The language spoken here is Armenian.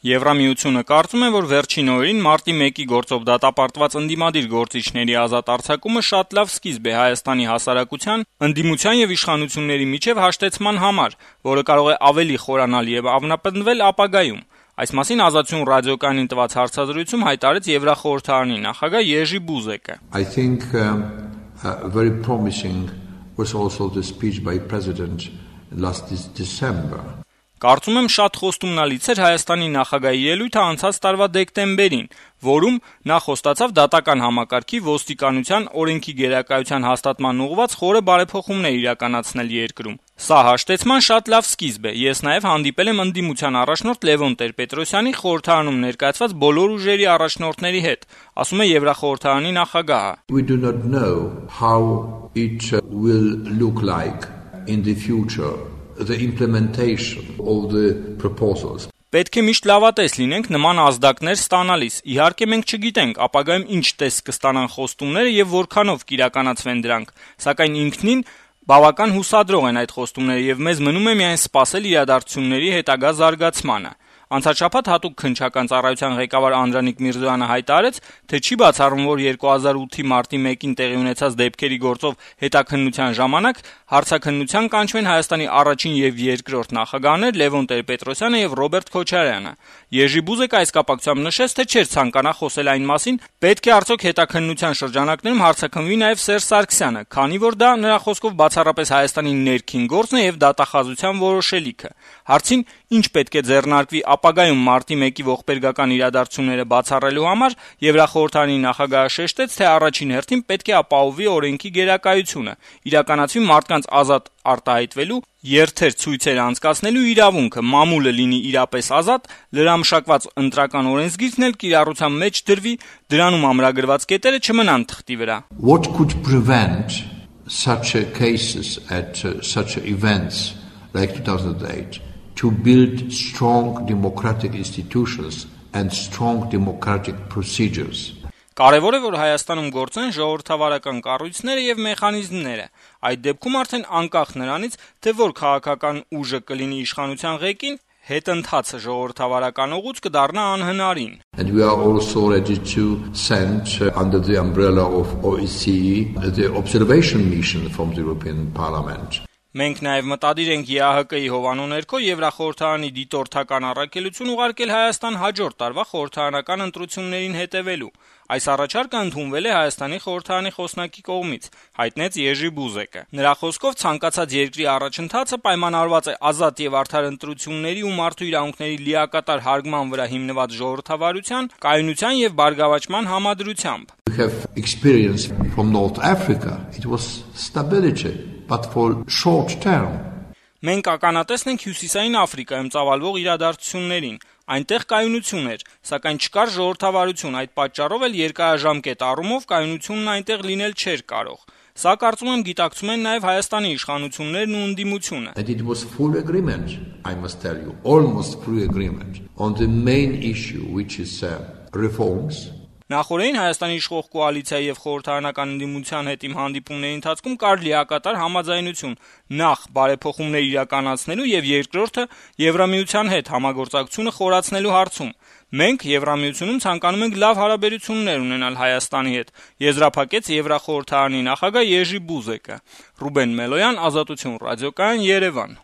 Եվրամիությունը կարծում է, որ վերջին օրերին մարտի 1-ի գործով դատապարտված ընդդիմադիր գործիչների ազատ արձակումը շատ լավ սկիզբ է Հայաստանի հասարակության, ընդդիմության եւ իշխանությունների միջեւ հաշտեցման համար, որը կարող է ավելի խորանալ եւ ամրապնդվել ապագայում։ Այս մասին Ազատություն ռադիոկայանին տված հարցազրույցում հայտարարեց Եվրախորհրդարանի նախագահ Եժի Բուզեկը։ I think very promising was also the speech by President last December. Կարծում եմ շատ խոստումնալից էր Հայաստանի նախագահի ելույթը անցած տարվա դեկտեմբերին, որում նա խոստացավ դատական համակարգի, ոստիկանության, օրենքի գերակայության հաստատման ուղղված խորը բարեփոխումներ իրականացնել երկրում։ Սա հաշտեցման շատ լավ սկիզբ է։ Ես նաև հանդիպել եմ ընդդիմության առաջնորդ Լևոն Տեր-Պետրոսյանի խորհրդարանում ներկայացված բոլոր ուժերի առաջնորդների հետ, ասում է Եվրախորհրդարանի նախագահը։ We do not know how it will look like in the future. The implementation of the proposals. Պետք է միշտ լավատես լինենք նման ազդակներ ստանալիս։ Իհարկե մենք չգիտենք ապագայում ինչ տեսք կստանան խոստումները եւ որքանով կիրականացվեն դրանք, սակայն ինքնին բավական հուսադրող են այդ խոստումները եւ մեզ մնում է միայն սպասել իրադարձությունների հետագա զարգացմանը։ Անցած շաբաթ հատուկ քննչական ծառայության ղեկավար Անդրանիկ Միրզոյանը հայտարարեց, թե չի բացառում, որ 2008-ի մարտի 1-ին տեղի ունեցած դեպքերի գործով հետաքննության ժամանակ հարցաքննության կանչվեն Հայաստանի առաջին եւ երկրորդ նախագահներ Լևոն Տեր-Պետրոսյանը եւ Ռոբերտ Քոչարյանը։ Եժի Բուզեկը այս կապակցությամբ նշեց, թե չէր ցանկանա խոսել այն մասին, պետք է արդյոք հետաքննության շրջանակներում հարցաքննվի նաեւ Սերժ Սարգսյանը, քանի որ դա նրա խոսքով բացառապես Հայաստանի ներքին գործն է եւ դատախազության որոշելիքը։ Հարցին ինչ պետք է ձեռնարկվի ապագայում մարտի 1-ի ողբերգական իրադարձությունները բացառելու համար Եվրախորհրդարանի նախագահը շեշտեց, թե առաջին հերթին պետք է ապահովի օրենքի գերակայությունը, իրականացվի մարդկանց ազատ արտահայտվելու, երթեր ցույցեր անցկացնելու իրավունքը, մամուլը լինի իրապես ազատ, լրամշակված ընտրական օրենսգիրքն էլ կիրառության մեջ դրվի, դրանում ամրագրված կետերը չմնան թղթի վրա։ What could prevent such cases at such events like 2008 to build strong democratic institutions and strong democratic procedures? Կարևոր է, որ Հայաստանում գործեն ժողովրդավարական կառույցները եւ մեխանիզմները։ Այդ դեպքում արդեն անկախ նրանից, թե որ քաղաքական ուժը կլինի իշխանության ղեկին, հետընթացը ժողովրդավարական ուղուց կդառնա անհնարին։ And we are also ready to send under the umbrella of OSCE the observation mission from the European Parliament. Մենք նաև մտադիր ենք ԵԱՀԿ-ի հովանու ներքո Եվրախորհրդարանի դիտորդական առաքելություն ուղարկել Հայաստան հաջորդ տարվա խորհրդարանական ընտրություններին հետևելու։ Այս առաջարկը ընդունվել է Հայաստանի խորհրդարանի խոսնակի կողմից, հայտնեց Եժի Բուզեկը։ Նրա խոսքով ցանկացած երկրի առաջընթացը պայմանավորված է ազատ եւ արդար ընտրությունների ու մարդու իրավունքների լիակատար հարգման վրա հիմնված ժողովրդավարության, կայունության եւ բարգավաճման համադրությամբ։ We have experience from North Africa. It was stability, but for short term. Մենք ականատեսն ենք Հյուսիսային Աֆրիկայում ծավալվող իրադարձություններին։ Այնտեղ կայունություն էր, սակայն չկար ժողովրդավարություն, այդ պատճառով էլ երկարաժամկետ առումով կայունությունն այնտեղ լինել չէր կարող։ Սա կարծում եմ գիտակցում են նաև Հայաստանի իշխանություններն ու ընդդիմությունը։ And it was full agreement, I must tell you, almost full agreement on the main issue, which is reforms. Նախորդին Հայաստանի իշխող կոալիցիայի եւ խորհրդարանական ընդդիմության հետ իմ հանդիպումների ընթացքում կար լիակատար համաձայնություն նախ բարեփոխումներ իրականացնելու եւ երկրորդը Եվրամիության հետ համագործակցությունը խորացնելու հարցում։ Մենք Եվրամիությունում ցանկանում ենք լավ հարաբերություններ ունենալ Հայաստանի հետ, եզրափակեց Եվրախորհրդարանի նախագահ Եժի Բուզեկը։ Ռուբեն Մելոյան, Ազատություն ռադիոկայան, Երևան։